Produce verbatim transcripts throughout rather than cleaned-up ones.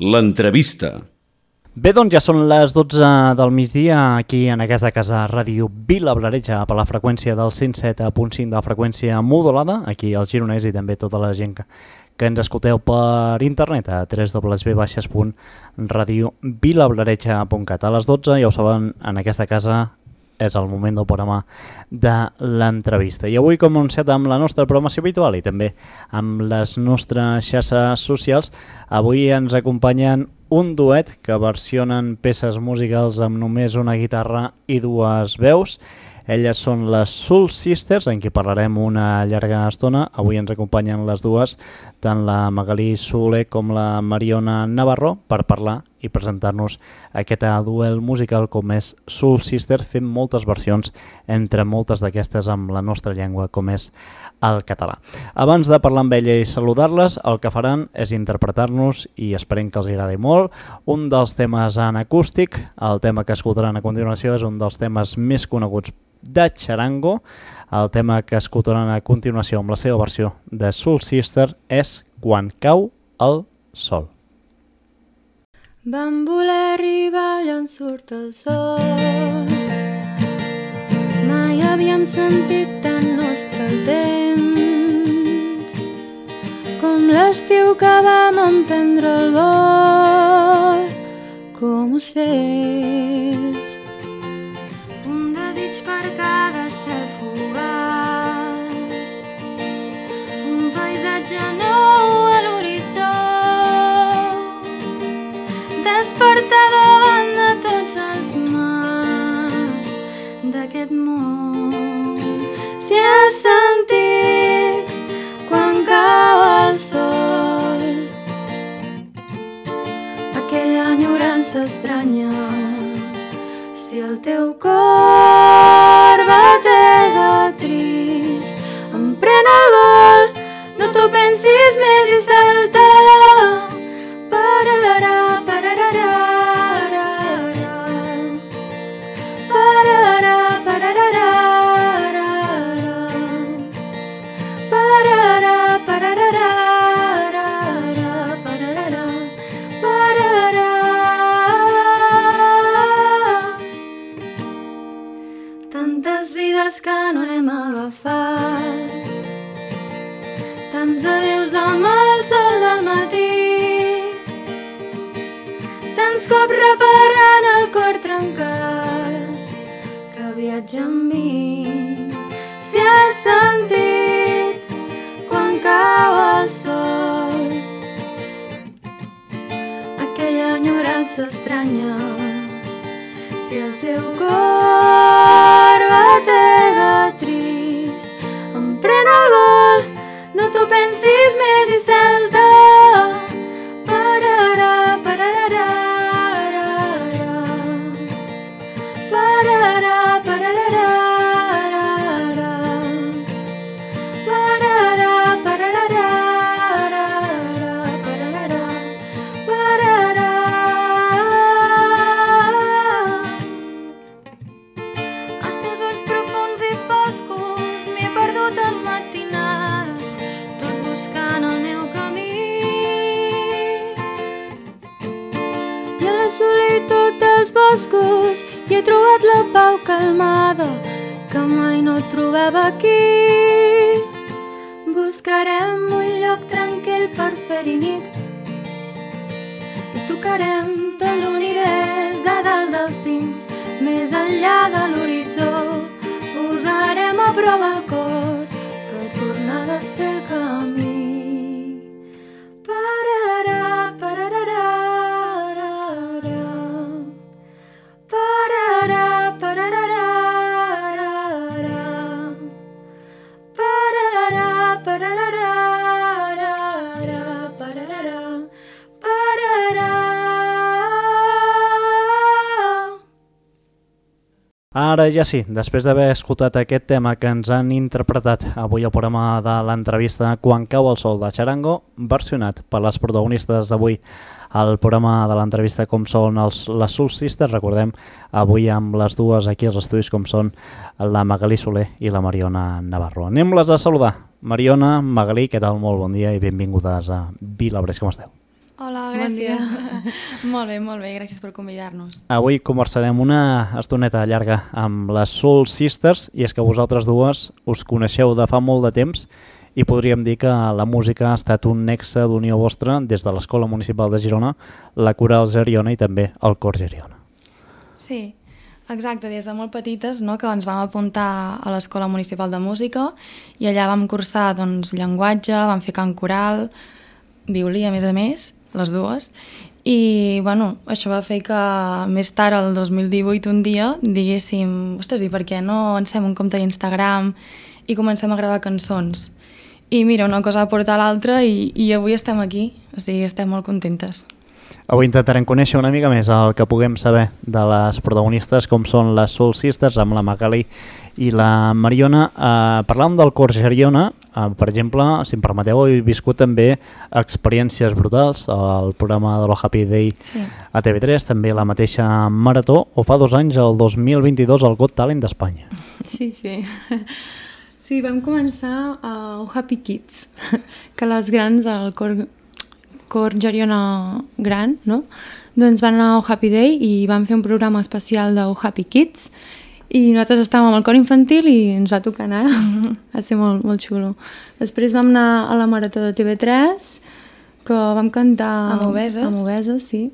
l'entrevista. Bé, doncs ja són les dotze del migdia aquí en aquesta casa Ràdio Vilablareix per la freqüència del cent set punt cinc de la freqüència modulada, aquí al Gironès, i també tota la gent que, que ens escolteu per internet a w w w punt radio vilablareix punt cat. A les dotze, ja ho saben, en aquesta casa és el moment del programa de l'entrevista. I avui, com anunciat amb la nostra programació habitual i també amb les nostres xarxes socials, avui ens acompanyen un duet que versionen peces musicals amb només una guitarra i dues veus. Elles són les Soul Sisters, en qui parlarem una llarga estona. Avui ens acompanyen les dues, tant la Magalí Soler com la Mariona Navarro, per parlar i presentar-nos aquest duel musical com és Soul Sisters, fent moltes versions, entre moltes d'aquestes amb la nostra llengua, com és el català. Abans de parlar amb ella i saludar-les, el que faran és interpretar-nos, i esperem que els agradi molt, un dels temes en acústic. El tema que escoltaran a continuació és un dels temes més coneguts de Charango. El tema que escoltaran a continuació amb la seva versió de Soul Sister és Quan cau el sol. Vam voler arribar allà on surt el sol. Mai havíem sentit tan nostre el temps, com l'estiu que vam emprendre el vol, com ocells. Un desig per cada estel fugaç, un paisatge nou a l'horitzó, despertar davant de tots els mars d'aquest món. Si has sentit quan cau el sol aquella enyorança estranya, si el teu cor batega trist, emprèn el vol, no t'ho pensis més i salta. Pararà, pararà, pararà, pararà, pararà, pararà, pararà. Tantes vides que no hem agafat, tants adeus amb el sol del matí, tants cops reparant el cor trencat que viatja amb mi. Si has sentit quan cau el sol aquella enyorança estranya, si el teu cor batega trist, emprèn el vol, no t'ho pensis més i salta. Pararà, pararà, pararà, pararà, pararà, pararà, pararà, pararà. Els teus ulls profuns i foscos m'hi he perdut en matinades, tot buscant el meu camí. I a la solitud dels boscos hi he trobat la pau calmada que mai no trobava aquí. Buscarem un lloc tranquil per fer-hi nit i tocarem tot l'univers a dalt dels cims, més enllà de l'horitzó. Posarem a prova el cor per tornar a desfer el camí. Pararà, pararà, pararà, pararà, pararà, pararà, pararà, pararà. Ara ja sí, després d'haver escoltat aquest tema que ens han interpretat avui al programa de l'entrevista Quan cau el sol de Charango, versionat per les protagonistes d'avui al programa de l'entrevista com són els, les Soul Sisters, recordem avui amb les dues aquí als estudis com són la Magalí Soler i la Mariona Navarro. Anem-les a saludar. Mariona, Magalí, què tal? Molt bon dia i benvingudes a Vilablareix, com esteu? Hola, gràcies. Bon molt bé, molt bé, gràcies per convidar-nos. Avui conversarem una estoneta llarga amb les Soul Sisters i és que vosaltres dues us coneixeu de fa molt de temps i podríem dir que la música ha estat un nexe d'unió vostra des de l'Escola Municipal de Girona, la Coral Geriona i també el Cor Geriona. Sí, exacte, des de molt petites, no?, que ens vam apuntar a l'Escola Municipal de Música i allà vam cursar doncs, llenguatge, vam fer cant coral, violí a més a més, les dues, i bueno, això va fer que més tard, el dos mil divuit, un dia, diguéssim, ostres, i per què no ens fem un compte d'Instagram i comencem a gravar cançons? I mira, una cosa va portar l'altra i, i avui estem aquí, o sigui, estem molt contentes. Avui intentarem conèixer una mica més el que puguem saber de les protagonistes, com són les Soul Sisters, amb la Magali i la Mariona. Eh, parlàvem del Cor Geriona, eh, per exemple, si em permeteu, he viscut també experiències brutals al programa de l'O Happy Day sí. a T V tres, també la mateixa Marató, o fa dos anys, el dos mil vint-i-dos, el Got Talent d'Espanya. Sí, sí. Sí, vam començar a uh, Happy Kids, que les grans, el Cor, Cor Geriona gran, no? Doncs van anar a Happy Day i van fer un programa especial de Happy Kids i nosaltres estàvem amb el cor infantil i ens va tocar anar, mm-hmm. va ser molt, molt xulo. Després vam anar a la Marató de T V tres, que vam cantar amb obeses, amb obeses sí.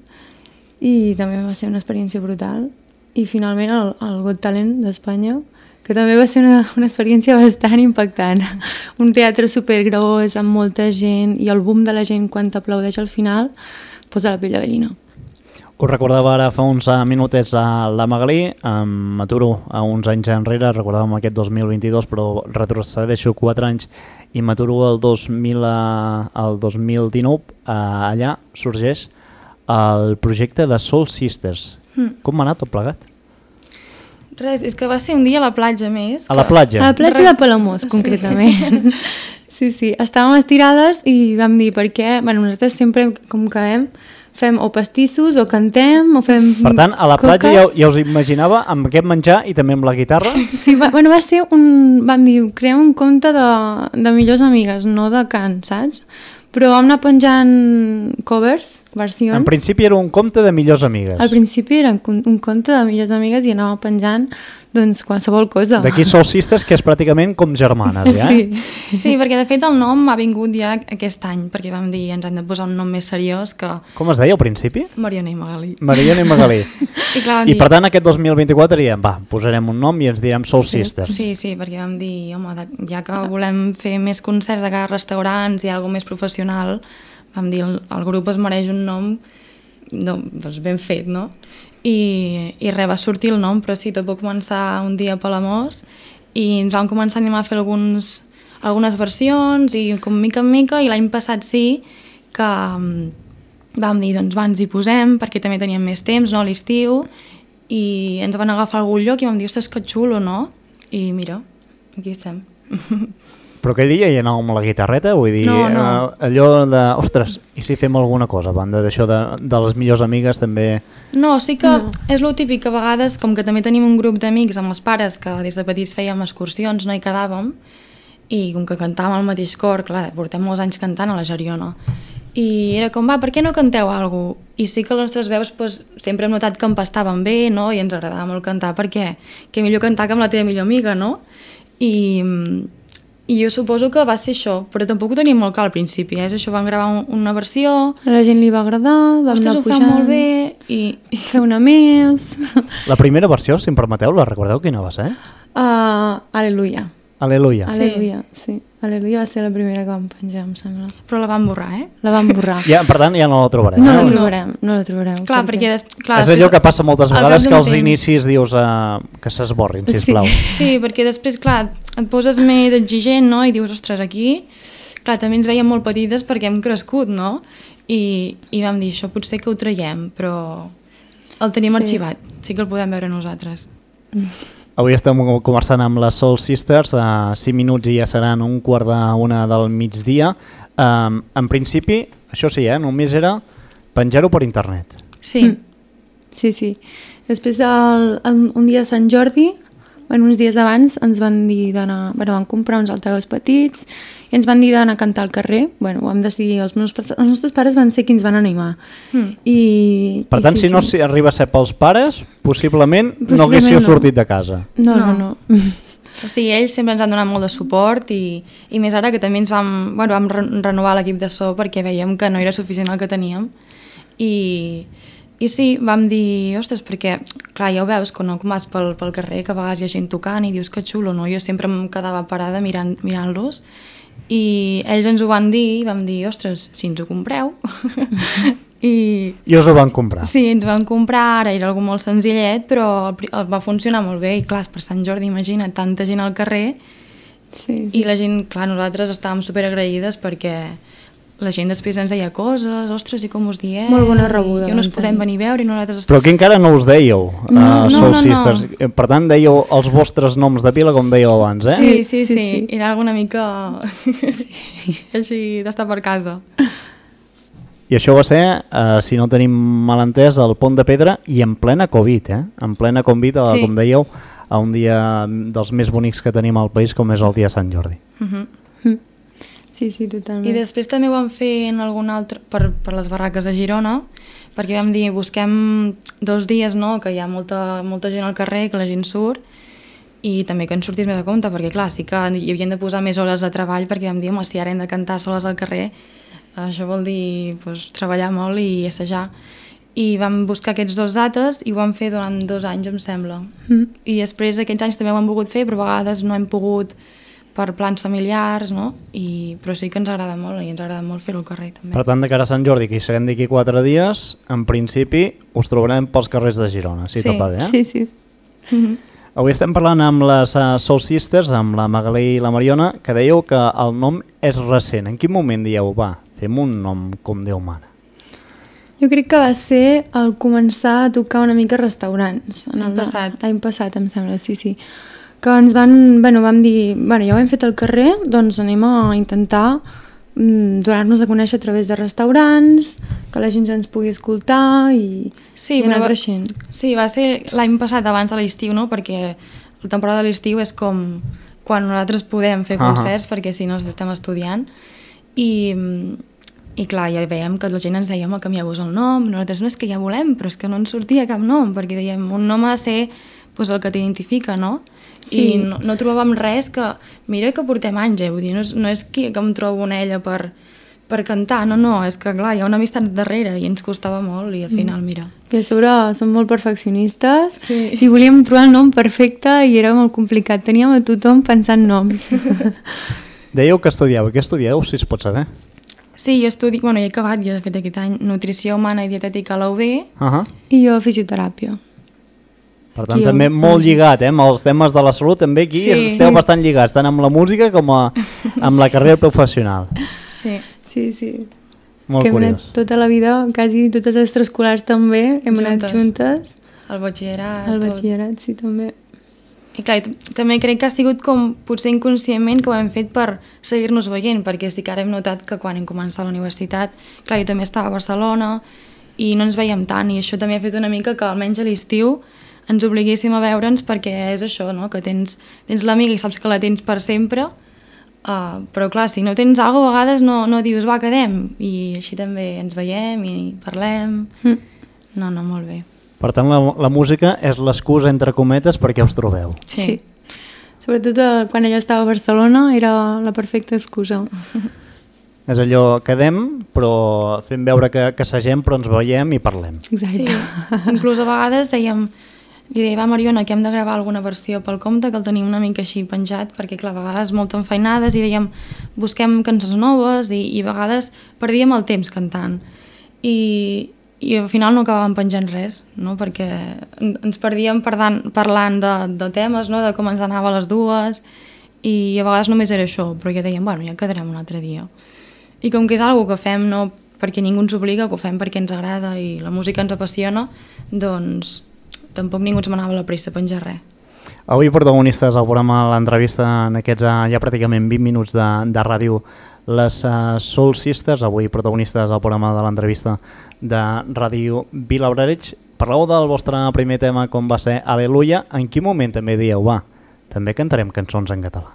I també va ser una experiència brutal. I finalment el, el Got Talent d'Espanya, que també va ser una, una experiència bastant impactant. Un teatre supergros, amb molta gent, i el boom de la gent quan t'aplaudeix al final posa la pell de gallina. Us recordava ara fa uns minutets a la Magalí, em m'aturo a uns anys enrere, recordàvem aquest dos mil vint-i-dos, però retrocedeixo quatre anys i m'aturo el dos mil, el dos mil dinou, allà sorgeix el projecte de Soul Sisters. Mm. Com m'ha anat tot plegat? Res, és que va ser un dia a la platja més. A la platja? A la platja de Palamós, concretament. Sí, sí, estàvem estirades i vam dir per què, bueno, nosaltres sempre, com que hem, fem o pastissos, o cantem, o fem Per tant, a la platja ja, coques. ja us imaginava amb aquest menjar i també amb la guitarra? Sí, va, bueno, va ser un... Vam dir, creem un conte de, de millors amigues, no de cant, saps? Però vam anar penjant covers, versions. En principi era un conte de millors amigues. Al principi era un, un conte de millors amigues i anava penjant doncs, qualsevol cosa. D'aquí Soul Sisters, que és pràcticament com germanes, ja? Sí. Sí, perquè de fet el nom ha vingut ja aquest any, perquè vam dir ens hem de posar un nom més seriós que... Com es deia al principi? Mariona i Magalí. Mariona i Magalí. I, clar, I dir... per tant aquest dos mil vint-i-quatre diem, va, posarem un nom i ens direm Soul sí, Sisters. Sí, sí, perquè vam dir, home, ja que volem fer més concerts a cada restaurants i alguna més professional, vam dir, el, el grup es mereix un nom no, doncs ben fet, no? I, i res, va sortir el nom, però sí, tot va començar un dia a Palamós i ens vam començar a animar a fer alguns, algunes versions i com mica en mica, i l'any passat sí que um, vam dir, doncs va, ens hi posem, perquè també teníem més temps, no?, a l'estiu, i ens van agafar a algun lloc i vam dir, ostres, que xulo, no? I mira, aquí estem. Però aquell dia hi anàvem amb la guitarreta, vull dir, no, no. Eh, allò de, ostres, i si fem alguna cosa, a banda d'això de, de les millors amigues també... No, sí que no. És lo típic que a vegades, com que també tenim un grup d'amics amb els pares que des de petits fèiem excursions, no hi quedàvem, i com que cantàvem al mateix cor, clar, portem molts anys cantant a la Geriona, i era com, va, per què no canteu alguna cosa? I sí que les nostres veus pues, sempre hem notat que empastaven bé, no?, i ens agradava molt cantar, perquè que millor cantar que amb la teva millor amiga, no? I... I jo suposo que va ser això, però tampoc ho teníem molt clar al principi, eh? És això, vam gravar una versió... A la gent li va agradar, vam Ostres, anar ho pujant... fa molt bé i... Fer una més... La primera versió, si em permeteu, la recordeu quina va ser? Uh, Aleluia. Aleluia. Aleluia, sí. Aleluia va ser la primera que vam penjar, em sembla. Però la vam borrar, eh? La vam borrar. Ja, per tant, ja no la trobarem. No eh? la trobarem, no la trobarem. Clar, perquè... Des, clar, és allò que passa moltes vegades, que als temps... inicis dius uh, que s'esborrin, sisplau. Sí. sí, perquè després, clar, et poses més exigent, no?, i dius, ostres, aquí... Clar, també ens veiem molt petites perquè hem crescut, no? I, i vam dir, això potser que ho traiem, però el tenim sí. arxivat, sí que el podem veure nosaltres. Avui estem conversant amb les Soul Sisters, a uh, cinc minuts i ja seran un quart d'una del migdia. Um, en principi, això sí, eh, només era penjar-ho per internet. Sí. Mm. Sí, sí. Després, el, el, un dia de Sant Jordi, bueno, uns dies abans ens van dir d'anar, bueno, van comprar uns altaveus petits i ens van dir d'anar a cantar al carrer. Bueno, ho vam decidir, els, meus, els nostres pares van ser qui ens van animar. Mm. I, per tant, i sí, si no sí. arriba a ser pels pares, possiblement, possiblement no haguéssiu no. sortit de casa. No, no, no. no. O sigui, ells sempre ens han donat molt de suport i, i més ara que també ens vam, bueno, vam re renovar l'equip de so perquè veiem que no era suficient el que teníem. I, i sí, vam dir, ostres, perquè, clar, ja ho veus, quan no vas pel, pel carrer, que a vegades hi ha gent tocant i dius que xulo, no? Jo sempre em quedava parada mirant, mirant-los i ells ens ho van dir i vam dir, ostres, si ens ho compreu... I, I us ho van comprar. Sí, ens van comprar, ara era algo molt senzillet, però el, el va funcionar molt bé i clar, per Sant Jordi, imagina, tanta gent al carrer sí, sí. i la gent, clar, nosaltres estàvem superagraïdes perquè la gent després ens deia coses, ostres, i com us dieu? Molt bona rebuda. I on us podem venir a veure i nosaltres... Però aquí encara no us dèieu, no, uh, no, Soul no, Sisters. no. Per tant, dèieu els vostres noms de pila com dèieu abans, eh? Sí, sí, sí, sí. sí. Era alguna mica així d'estar per casa. I això va ser, uh, si no tenim mal entès, al Pont de Pedra i en plena Covid, eh? En plena Covid, sí. Com dèieu, a un dia dels més bonics que tenim al país, com és el dia de Sant Jordi. Uh -huh. mm. Sí, sí, totalment. I després també ho vam fer en algun altre, per, per les barraques de Girona, perquè vam dir, busquem dos dies, no?, que hi ha molta, molta gent al carrer, que la gent surt, i també que ens sortís més a compte, perquè clar, sí que hi havien de posar més hores de treball, perquè vam dir, home, si ara hem de cantar soles al carrer, això vol dir pues, treballar molt i assajar. I vam buscar aquests dos dates i ho vam fer durant dos anys, em sembla. Mm. I després aquests anys també ho hem volgut fer, però a vegades no hem pogut per plans familiars, no? I, però sí que ens agrada molt i ens agrada molt fer-ho al carrer també. Per tant, de cara a Sant Jordi, que hi serem d'aquí quatre dies, en principi us trobarem pels carrers de Girona, si sí. tot va bé. Eh? Sí, sí. Mm-hmm. Avui estem parlant amb les uh, Soul Sisters, amb la Magalí i la Mariona, que dèieu que el nom és recent. En quin moment dieu, va, fem un nom com Déu mana? Jo crec que va ser el començar a tocar una mica a restaurants. L'any passat. L'any passat, em sembla, sí, sí. Que ens van, bueno, vam dir, bueno, ja ho hem fet al carrer, doncs anem a intentar mm, donar-nos a conèixer a través de restaurants, que la gent ens pugui escoltar i, sí, i anar va, creixent. Sí, va ser l'any passat abans de l'estiu, no?, perquè la temporada de l'estiu és com quan nosaltres podem fer concerts, uh -huh. perquè si no estem estudiant. I, i clar, ja veiem que la gent ens deia, home, canvieu-vos el nom, nosaltres no és que ja volem, però és que no ens sortia cap nom, perquè dèiem, un nom ha de ser pues, el que t'identifica, no? Sí. I no, no trobàvem res que, mira que portem anys, eh? Vull dir, no és, no és que, que em trobo una ella per, per cantar, no, no, és que clar, hi ha una amistat darrere i ens costava molt i al final, mira. I a sobre som molt perfeccionistes sí. i volíem trobar el nom perfecte i era molt complicat, teníem a tothom pensant noms. Dèieu que estudieu, què estudieu, si es pot saber? Sí, jo estudio, bueno, he acabat, jo de fet aquest any, Nutrició Humana i Dietètica a la U B. Uh -huh. I jo fisioteràpia. Per tant, I també jo... molt lligat, eh? Amb els temes de la salut també aquí sí. esteu bastant lligats, tant amb la música com a, amb la carrera professional. Sí, sí, sí. Molt és que curiós. hem anat tota la vida, quasi totes les extraescolars també, hem juntes. anat juntes. El batxillerat. El batxillerat, sí, també. I clar, també crec que ha sigut com potser inconscientment que ho hem fet per seguir-nos veient, perquè sí que ara hem notat que quan hem començat la universitat, clar, jo també estava a Barcelona i no ens veiem tant, i això també ha fet una mica que almenys a l'estiu ens obliguéssim a veure'ns, perquè és això, no? Que tens, tens l'amiga i saps que la tens per sempre, uh, però clar, si no tens alguna cosa, a vegades no, no dius, va, quedem, i així també ens veiem i parlem. Mm. No, no, molt bé. Per tant, la, la música és l'excusa, entre cometes, perquè us trobeu. Sí. sí. Sobretot eh, quan ella estava a Barcelona era la perfecta excusa. És allò, quedem, però fem veure que, que sagem, però ens veiem i parlem. Exacte. Sí. Inclús a vegades dèiem, li deia, va Mariona, que hem de gravar alguna versió pel compte, que el tenim una mica així penjat, perquè clar, a vegades molt enfeinades, i dèiem, busquem cançons noves, i, i a vegades perdíem el temps cantant. I, i al final no acabàvem penjant res, no? Perquè ens perdíem parlant, parlant de, de temes, no? De com ens anava a les dues, i a vegades només era això, però ja dèiem, bueno, ja quedarem un altre dia. I com que és una cosa que fem no perquè ningú ens obliga, que ho fem perquè ens agrada i la música ens apassiona, doncs tampoc ningú ens manava la pressa a penjar res. Avui protagonistes al programa l'entrevista en aquests ja pràcticament vint minuts de, de ràdio, les uh, Soul Sisters, avui protagonistes al programa de l'entrevista de Ràdio Vilablareix. Parleu del vostre primer tema com va ser Aleluia. En quin moment també dieu, va, també cantarem cançons en català.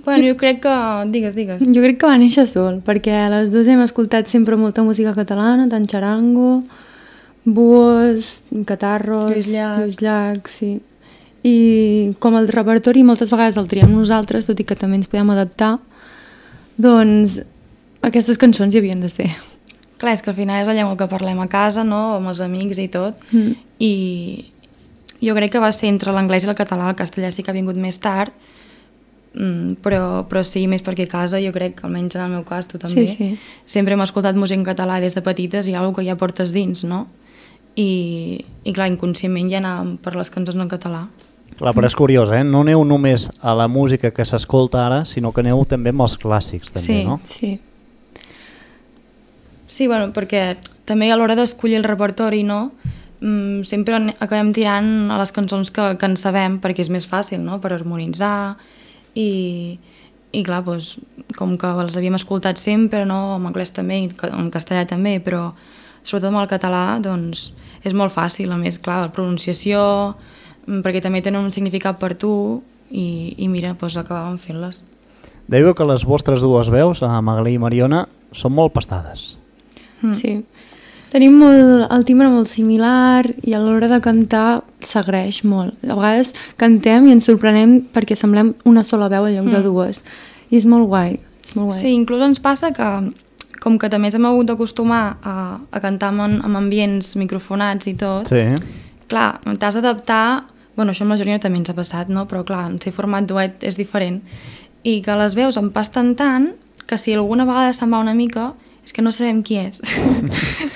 Bueno, jo crec que... Digues, digues. Jo crec que va néixer sol, perquè les dues hem escoltat sempre molta música catalana, tant xarango, buos, catarros, Lluís Llach. Lluís Llach, sí. I com el repertori moltes vegades el triem nosaltres, tot i que també ens podem adaptar, doncs aquestes cançons hi havien de ser. Clar, és que al final és la llengua que parlem a casa, no?, amb els amics i tot, Mm. i jo crec que va ser entre l'anglès i el català, el castellà sí que ha vingut més tard, mm, però, però sí, més perquè a casa jo crec, almenys en el meu cas, tu també, Sí, sí. sempre hem escoltat música en català des de petites i hi ha alguna que ja portes dins, no? I, i clar, inconscientment ja anàvem per les cançons en català. Clar, però és curiós, eh? No aneu només a la música que s'escolta ara, sinó que aneu també amb els clàssics, també, Sí. no? Sí. Sí, bueno, perquè també a l'hora d'escollir el repertori, no?, mm, sempre an- acabem tirant a les cançons que, que en sabem, perquè és més fàcil, no?, per harmonitzar, i, i clar, doncs, com que els havíem escoltat sempre, no?, en anglès també, i ca- en castellà també, però sobretot amb el català, doncs, és molt fàcil, a més, clar, la pronunciació, mm, perquè també tenen un significat per tu, i, i mira, doncs acabàvem fent-les. Dèieu que les vostres dues veus, a Magalí i Mariona, són molt pastades. Mm. Sí. Tenim molt, el timbre molt similar i a l'hora de cantar s'agraeix molt. A vegades cantem i ens sorprenem perquè semblem una sola veu en lloc de Mm. dues. I és molt guai. És molt guai. Sí, inclús ens passa que, com que també ens hem hagut d'acostumar a, a cantar en, en ambients microfonats i tot, Sí. clar, t'has d'adaptar, bueno, això amb la Jorina també ens ha passat, no? Però clar, en ser format duet és diferent, i que les veus em pasten tant que si alguna vegada se'n va una mica, és que no sabem qui és.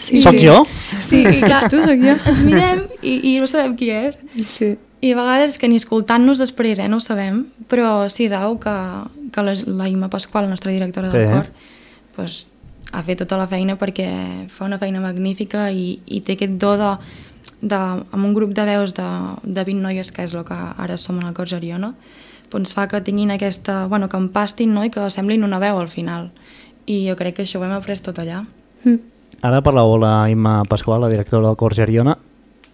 Sí. Soc jo? Sí, i clar, Ets tu, soc jo. ens mirem i, i no sabem qui és. Sí. I a vegades que ni escoltant-nos després, eh, no ho sabem, però sí, és una que, que la, la Imma Pasqual, la nostra directora del Sí. cor, pues, ha fet tota la feina perquè fa una feina magnífica i, i té aquest do de, de, amb un grup de veus de, de vint noies, que és el que ara som en el cor Geriona, doncs fa que tinguin aquesta, bueno, que empastin, no?, i que semblin una veu al final. I jo crec que això ho hem après tot allà. Mm. Ara parlàveu la Imma Pasqual, la directora del cor Geriona.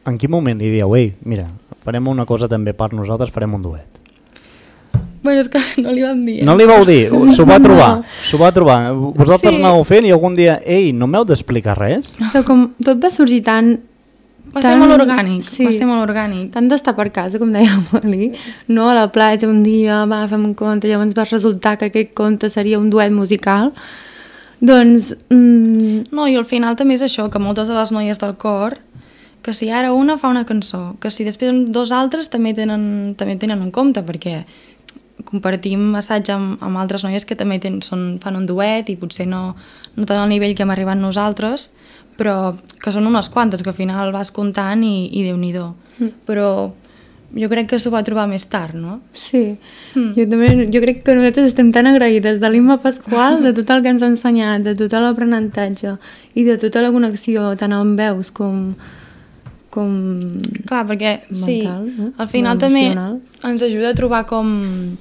En quin moment li dieu, ei, mira, farem una cosa també per nosaltres, farem un duet? Bueno, és que no li vam dir. Eh? No li vau dir, s'ho va trobar, s'ho va trobar. Vosaltres Sí. anàveu fent i algun dia, ei, no m'heu d'explicar res? Però com tot va sorgir tan... Va ser tan- molt orgànic, sí. va ser molt orgànic. Tant d'estar per casa, com deia Amalí, no a la platja un dia, va, fem un conte, llavors va resultar que aquest conte seria un duet musical. Doncs, mm, No, i al final també és això, que moltes de les noies del cor, que si ara una fa una cançó, que si després dos altres també tenen, també tenen un compte, perquè compartim assaig amb, amb altres noies que també ten, són, fan un duet i potser no, no tant al nivell que hem arribat nosaltres, però que són unes quantes, que al final vas comptant i, i Déu-n'hi-do. Mm. Però jo crec que s'ho va trobar més tard, no? sí, Mm. jo també jo crec que nosaltres estem tan agraïdes de l'Imma Pasqual, de tot el que ens ha ensenyat, de tot l'aprenentatge i de tota la connexió, tant amb veus com... com... Clar, perquè sí, Mental, no? al final també Emocional. ens ajuda a trobar com...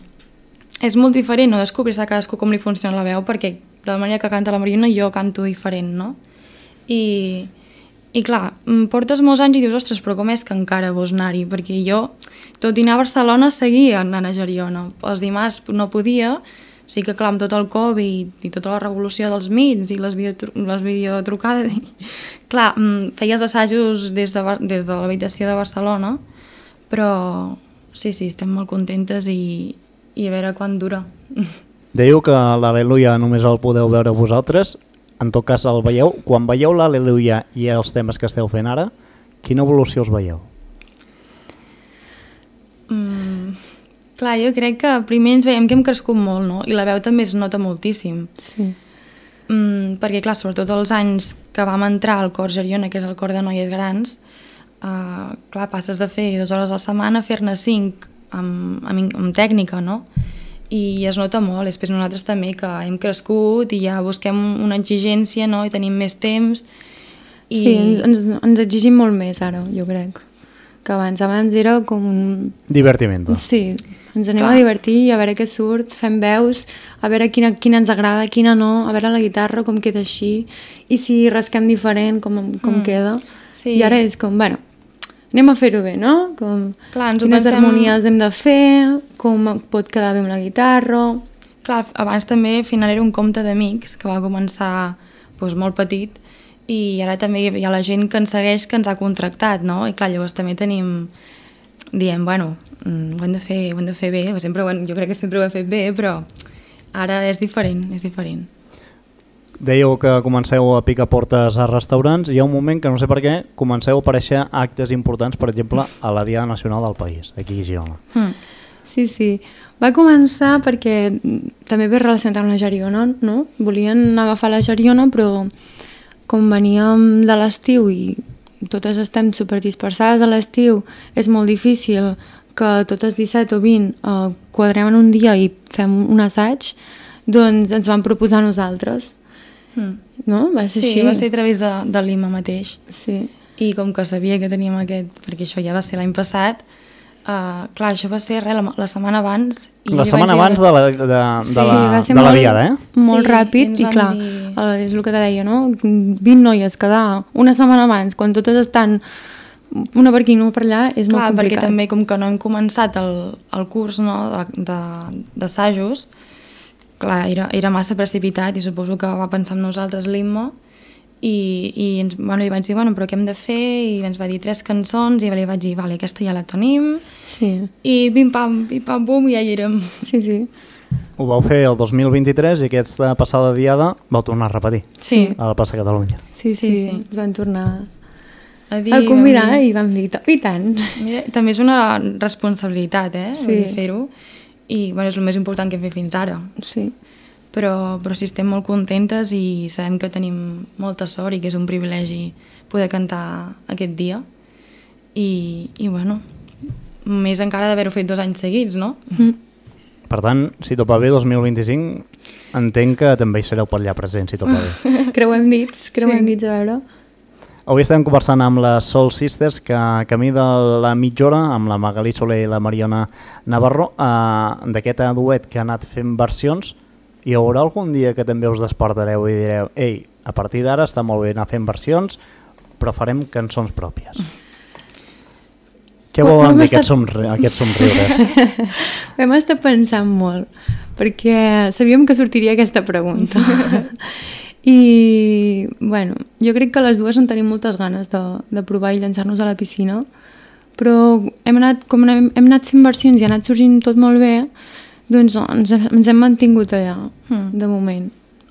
És molt diferent, no?, descobrir-se a cadascú com li funciona la veu, perquè de la manera que canta la Mariona jo canto diferent, no? I, i clar, em portes molts anys i dius, ostres, però com és que encara vols anar-hi? Perquè jo, tot i anar a Barcelona, seguia anant a Geriona. Els dimarts no podia, sí que clar, amb tot el Covid i tota la revolució dels mits i les, videotru les videotrucades, i, clar, mm, feies assajos des de, Bar- des de l'habitació de Barcelona, però sí, sí, estem molt contentes i, i a veure quan dura. Dèieu que l'Al·leluia només el podeu veure vosaltres, en tot cas el veieu. Quan veieu l'Al·leluia i els temes que esteu fent ara, quina evolució us veieu? Mm, clar, jo crec que primer ens veiem que hem crescut molt, no? I la veu també es nota moltíssim. Sí. Mm, perquè, clar, sobretot els anys que vam entrar al cor Geriona, que és el cor de noies grans, uh, clar, passes de fer dues hores a la setmana a fer-ne cinc amb, amb, amb tècnica, no? I es nota molt. Després nosaltres també, que hem crescut i ja busquem una exigència, no?, i tenim més temps. I... Sí, ens, ens, ens exigim molt més ara, jo crec. Que abans, abans era com un... Divertiment. Sí, ens anem Clar. a divertir, a veure què surt, fem veus, a veure quina, quina ens agrada, quina no, a veure la guitarra com queda així, i si rasquem diferent, com, com Mm. queda. Sí. I ara és com, bueno, anem a fer-ho bé, no? Com, Clar, ens ho quines pensem- harmonies hem de fer, com pot quedar bé amb la guitarra... Clar, abans també al final era un compte d'amics que va començar doncs, molt petit i ara també hi ha la gent que ens segueix que ens ha contractat, no? I clar, llavors també tenim, diem, bueno, mm, ho hem de fer, ho hem de fer bé, o sempre ho hem, jo crec que sempre ho hem fet bé, però ara és diferent, és diferent. Dèieu que comenceu a picar portes a restaurants i hi ha un moment que no sé per què comenceu a aparèixer actes importants, per exemple, a la Diada Nacional del País, aquí a Girona. Mm. Sí, sí. Va començar perquè també ve relacionat amb la Geriona, no? Volien agafar la Geriona, però com veníem de l'estiu i totes estem superdispersades a l'estiu, és molt difícil que totes disset o vint eh, quadrem en un dia i fem un assaig, doncs ens van proposar a nosaltres. Mm. No? Va ser Sí, així. va ser a través de, de l'I M A mateix. Sí. I com que sabia que teníem aquest, perquè això ja va ser l'any passat, uh, clar, això va ser res, la, la setmana abans. I La li setmana vaig dir- abans de la, de, de Sí, la, va ser de la molt, Diada, eh? molt Sí, ràpid i i, ens clar, van dir- eh, és el que te deia, no? vint noies quedar una setmana abans, quan totes estan una per aquí i una per allà, és Clar, molt perquè complicat. també com que no hem començat el, el curs no, de- de- d'assajos, clar, era, era massa precipitat i suposo que va pensar en nosaltres l'I M A i, i ens, bueno, li vaig dir, bueno, però què hem de fer? I ens va dir tres cançons i li vaig dir, vale, aquesta ja la tenim Sí, i pim-pam, pim-pam-pum, i ja hi érem. sí, sí. Ho vau fer el dos mil vint-i-tres i aquesta passada Diada vau tornar a repetir Sí, a la plaça Catalunya. Sí, sí, Sí, sí. sí. Ens van tornar a, dir, a convidar vam dir- i vam dir, i tant. Mira, també és una responsabilitat, eh, Sí. vull dir, fer-ho. I bueno, és el més important que hem fet fins ara. Sí. Però, però sí, estem molt contentes i sabem que tenim molta sort i que és un privilegi poder cantar aquest dia. I, i bueno, més encara d'haver-ho fet dos anys seguits, no? Mm. Per tant, si tot va bé, dos mil vint-i-cinc, entenc que també hi sereu per allà present, si tot va bé. Creuem dits, creuem Sí. dits, a veure. Avui estem conversant amb les Soul Sisters, que camí de la mitja hora, amb la Magalí Soler i la Mariona Navarro, eh, d'aquest duet que ha anat fent versions. Hi haurà algun dia que també us despertareu i direu, ei, a partir d'ara està molt bé anar fent versions, però farem cançons pròpies. Què Ho- ho volen hem dir estat- aquests, somri aquests somriures? Vam estar pensant molt, perquè sabíem que sortiria aquesta pregunta. I, bueno, jo crec que les dues en tenim moltes ganes de, de provar i llançar-nos a la piscina, però hem anat, com hem, hem anat fent versions i ha anat sorgint tot molt bé, doncs ens, ens hem mantingut allà, Mm. de moment.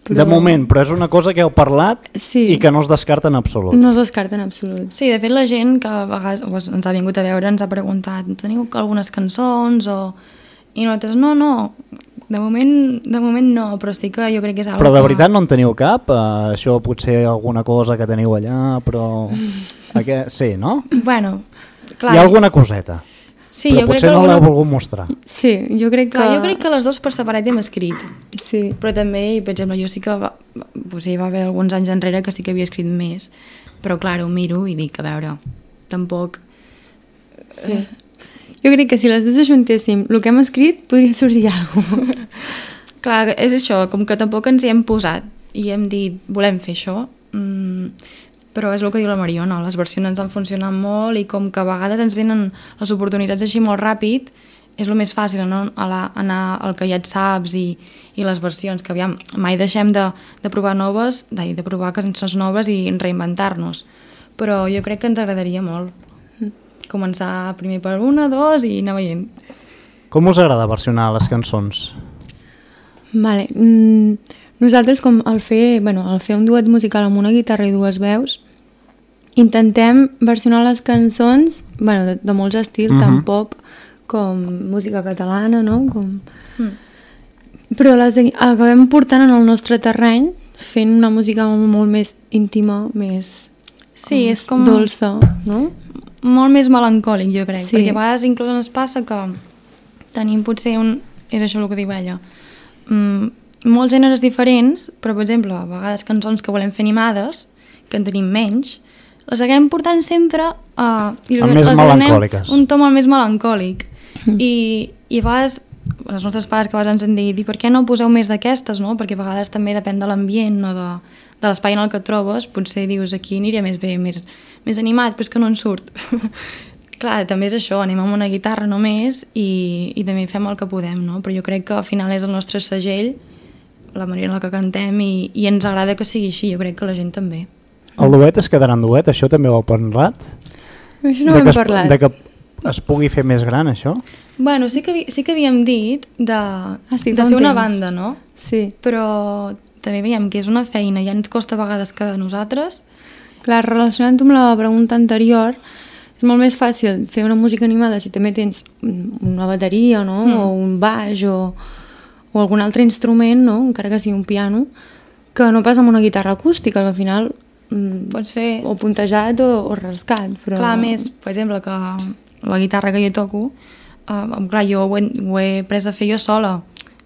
De moment, però és una cosa que heu parlat Sí. i que no es descarta en absolut. No es descarta en absolut. Sí, de fet la gent que a vegades doncs, ens ha vingut a veure ens ha preguntat, teniu algunes cançons? O... I nosaltres, no, no, de moment, de moment no, però sí que jo crec que és algo Però de que... veritat no en teniu cap? Uh, això potser alguna cosa que teniu allà, però... Aquest... Sí, no? Bueno, clar, Hi ha alguna coseta, sí, però jo crec potser que no alguna... l'heu volgut mostrar. Sí, jo crec que... Clar, jo crec que les dues per separat hem escrit, Sí. però també, per exemple, jo sí que va, pues, hi va haver alguns anys enrere que sí que havia escrit més, però clar, ho miro i dic, a veure, tampoc... Sí. Jo crec que si les dues ajuntéssim el que hem escrit, podria sorgir alguna cosa. Clar, és això, com que tampoc ens hi hem posat i hem dit, volem fer això, mm, però és el que diu la Mariona, les versions ens han funcionat molt i com que a vegades ens venen les oportunitats així molt ràpid, és el més fàcil, no? A la, anar al que ja et saps i, i les versions, que aviam, mai deixem de, de provar noves, de, de provar cançons noves i reinventar-nos, però jo crec que ens agradaria molt començar primer per una, dos i anar veient. Com us agrada versionar les cançons? Vale. Mm, nosaltres, com al fer, bueno, al fer un duet musical amb una guitarra i dues veus, intentem versionar les cançons, bueno, de, de molts estils, uh -huh. tant pop com música catalana, no? Com... Mm. Però les acabem portant en el nostre terreny, fent una música molt més íntima, més Sí, és com... dolça, no? molt més melancòlic, jo crec, Sí. perquè a vegades inclús ens passa que tenim potser un... és això el que diu ella, mm, molts gèneres diferents, però per exemple, a vegades cançons que volem fer animades, que en tenim menys, les acabem portant sempre uh, i A més les donem melancòliques. un to molt més melancòlic. I, i a vegades els nostres pares que a vegades ens han dit, i per què no poseu més d'aquestes, no? Perquè a vegades també depèn de l'ambient o de, de l'espai en el que et trobes, potser dius aquí aniria més bé, més, més animat, però és que no en surt. clar, també és això, anem amb una guitarra només i, i també fem el que podem, no? Però jo crec que al final és el nostre segell, la manera en la que cantem i, i ens agrada que sigui així, jo crec que la gent també. El duet es quedarà en duet, això també ho heu parlat? Això no de ho hem es, parlat. De que es pugui fer més gran, això? Bueno, sí que, sí que havíem dit de, ah, sí, de fer una temps. banda, no? Sí. Però també veiem que és una feina, ja ens costa a vegades quedar nosaltres. Clar, relacionant-ho amb la pregunta anterior, és molt més fàcil fer una música animada si també tens una bateria, no? Mm. O un baix o, o algun altre instrument, no? Encara que sigui un piano, que no pas amb una guitarra acústica, que al final mm, pots fer o puntejat o, o rascat. Però... Clar, més, per exemple, que la guitarra que jo toco, uh, clar, jo ho he, ho he pres a fer jo sola.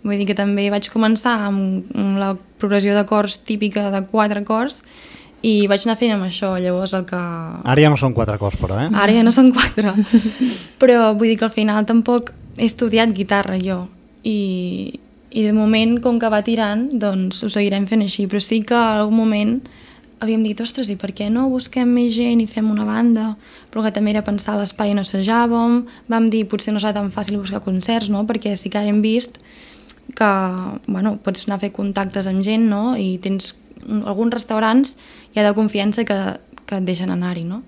Vull dir que també vaig començar amb, amb la progressió d'acords típica de quatre acords i vaig anar fent amb això, llavors el que... Ara ja no són quatre acords, però, eh? Ara ja no són quatre. Però vull dir que al final tampoc he estudiat guitarra jo i, i de moment, com que va tirant, doncs ho seguirem fent així, però sí que en algun moment havíem dit, ostres, i per què no busquem més gent i fem una banda? Però que també era pensar a l'espai on assajàvem, vam dir, potser no serà tan fàcil buscar concerts, no? Perquè sí que ara hem vist que, bueno, pots anar a fer contactes amb gent, no? I tens alguns restaurants ja de confiança que, que et deixen anar-hi, no?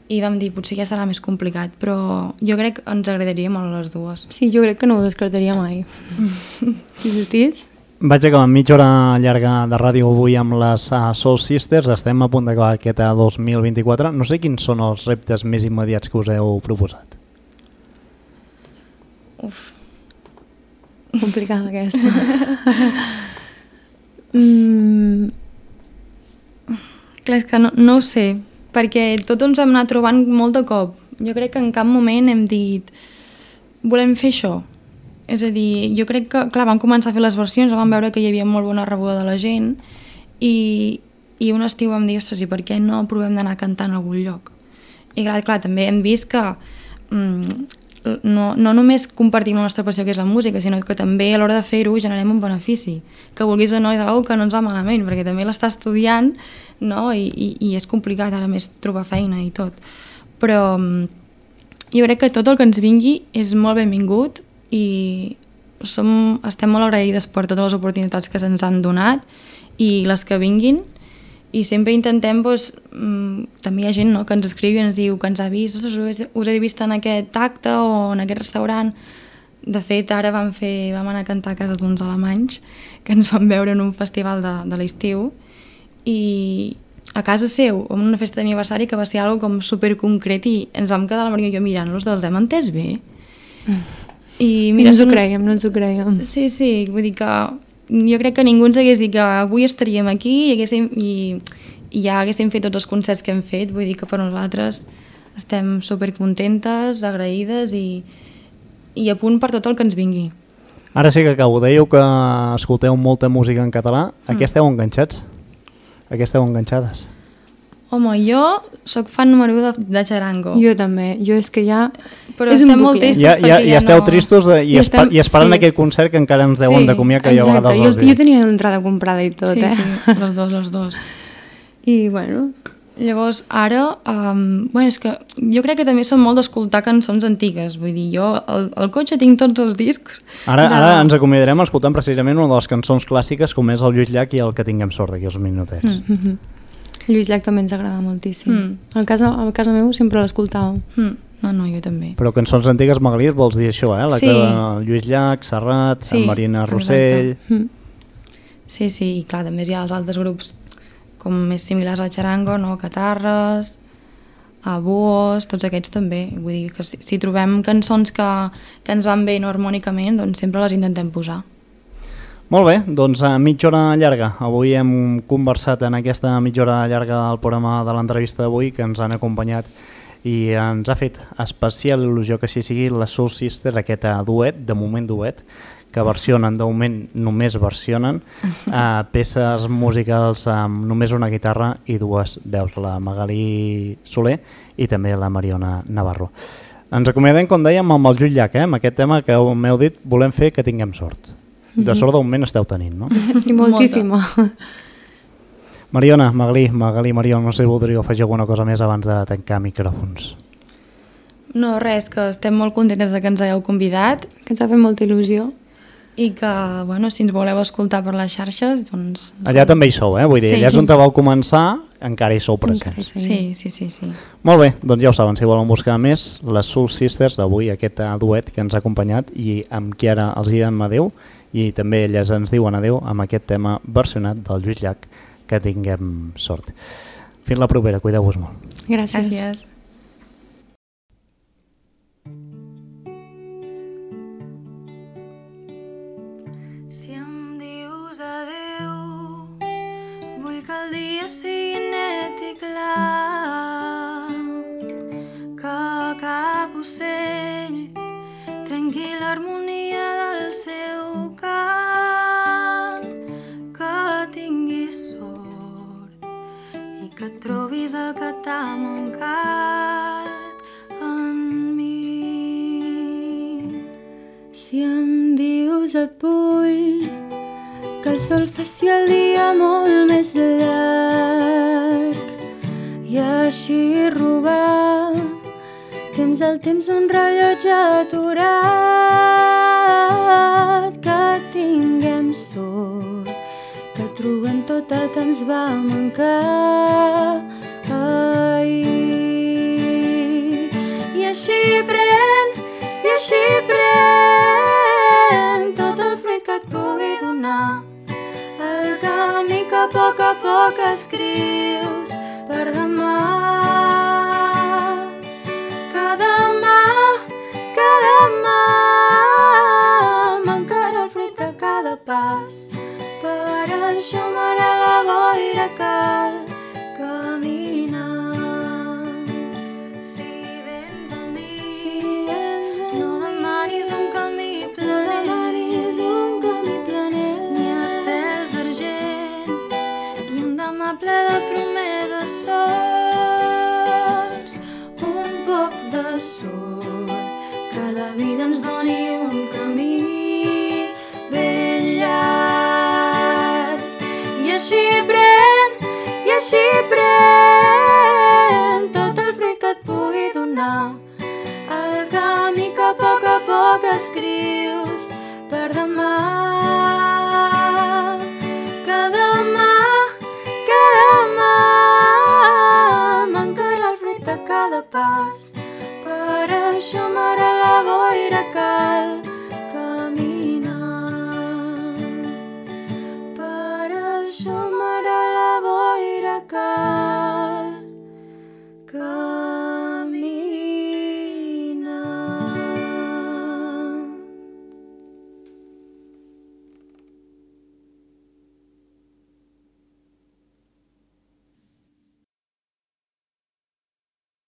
I vam dir, potser ja serà més complicat, però jo crec que ens agradaria molt les dues. Sí, jo crec que no ho descartaria mai. Sí, Sotis? Vaig acabar mitja hora llarga de ràdio avui amb les uh, Soul Sisters. Estem a punt d'acabar aquest dos mil vint-i-quatre. No sé quins són els reptes més immediats que us heu proposat. Uf. Complicada aquesta. mm. Clar, és que no, no ho sé, perquè tot ens hem anat trobant molt de cop. Jo crec que en cap moment hem dit volem fer això. És a dir, jo crec que, clar, vam començar a fer les versions, vam veure que hi havia molt bona rebuda de la gent i, i un estiu vam dir, ostres, i per què no provem d'anar cantant a algun lloc? I clar, clar també hem vist que mm, no, no només compartim la nostra passió, que és la música, sinó que també a l'hora de fer-ho generem un benefici. Que vulguis o no, és una que no ens va malament, perquè també l'està estudiant, no? I, i, i és complicat ara més trobar feina i tot. Però mm, jo crec que tot el que ens vingui és molt benvingut i som, estem molt agraïdes per totes les oportunitats que se'ns han donat i les que vinguin, i sempre intentem, doncs, també hi ha gent, no?, que ens escriu i ens diu que ens ha vist, us, us he vist en aquest acte o en aquest restaurant. De fet, ara vam, fer, vam anar a cantar a casa d'uns alemanys que ens van veure en un festival de, de l'estiu i a casa seu, en una festa d'aniversari que va ser algo com superconcret i ens vam quedar la Maria i jo mirant-los, dels hem entès bé? I mira, no ens ho creiem, no ens ho creiem. Sí, sí, vull dir que jo crec que ningú ens hagués dit que avui estaríem aquí i, haguéssim, i, i ja haguéssim fet tots els concerts que hem fet. Vull dir que per nosaltres estem supercontentes, agraïdes i, i a punt per tot el que ens vingui. Ara sí que acabo. Dèieu que escolteu molta música en català. A què esteu enganxats? A què esteu enganxades? Home, jo sóc fan número u de, de Charango. Jo també. Jo és que ja... Però és estem molt tristos ja, perquè ja, ja, ja esteu no... tristos de, i, estem, i esperant sí. aquell concert que encara ens deuen sí, de comiar, que jo a vegades jo, els dic. jo tenia l'entrada comprada i tot, sí, eh? Sí, les dos, les dos. I, bueno... Llavors, ara, um, bueno, és que jo crec que també som molt d'escoltar cançons antigues. Vull dir, jo al, al cotxe tinc tots els discs. Ara, de... ara ens acomiadarem escoltant precisament una de les cançons clàssiques, com és el Lluís Llach i el Que tinguem sort d'aquí uns minutets. Mm -hmm. Lluís Llach també ens agrada moltíssim. Mm. Al casa, al casa meu sempre l'escoltàvem. Mm. No, no, jo també. Però cançons antigues, Magalí, vols dir això, eh? La sí. que de Lluís Llach, Serrat, sí, Marina Rossell... Mm. Sí, sí, i clar, també hi ha els altres grups com més similars al Charango, no? Catarres, a Buos, tots aquests també. Vull dir que si, si trobem cançons que, que ens van bé no harmònicament, doncs sempre les intentem posar. Molt bé, doncs a mitja hora llarga. Avui hem conversat en aquesta mitja hora llarga del programa de l'entrevista d'avui, que ens han acompanyat i ens ha fet especial il·lusió que així sigui la Soul Sisters, aquest duet, de moment duet, que versionen, de moment només versionen, uh, peces musicals amb només una guitarra i dues veus, la Magalí Soler i també la Mariona Navarro. Ens acomiadem, com dèiem, amb el Lluís Llach, eh? Amb aquest tema que m'heu dit, volem fer que tinguem sort. De sort d'un moment esteu tenint, no? Sí, moltíssima. Mariona, Magalí, Magalí, Mariona, no sé si voldríeu afegir alguna cosa més abans de tancar micròfons. No, res, que estem molt contentes de que ens hagueu convidat. Que ens ha fet molta il·lusió. I que, bueno, si ens voleu escoltar per les xarxes, doncs... Allà també hi sou, eh? Vull dir, Sí, allà és sí. on te vau començar, encara hi sou presents. Encara hi seguim. Sí, sí, sí, sí. Molt bé, doncs ja ho saben, si volen buscar més, les Soul Sisters d'avui, aquest eh, duet que ens ha acompanyat i amb qui ara els diem adeu, i també elles ens diuen adeu amb aquest tema versionat del Lluís Llach, que tinguem sort. Fins la propera, cuideu-vos molt. Gràcies. Gràcies. Si em dius adeu, vull que el dia sigui net i clar, que cap ocell trenqui l'harmonia del seu cant, que tinguis sort i que trobis el que t'ha mancat en mi. Si em dius et vull que el sol faci el dia molt més llarg i així robar temps al temps un rellotge aturat, que tinguem sort, que trobem tot el que ens va mancar ahir. I així pren, i així pren tot el fruit que et pugui donar, el camí que a poc a poc escrius per demà. Que demà, que demà mancarà el fruit de cada pas, per això m'agrada la boira cal caminar. Si vens amb mi, si no demanis un camí planer, ni estels d'argent, ni un demà ple de promeses sols, un poc de sort, que la vida ens doni un camí ben llarg. I així pren, i així pren tot el fruit que et pugui donar, el camí que a poc a poc escrius per demà. Que demà, que demà mancarà el fruit de cada pas, per això m'agrada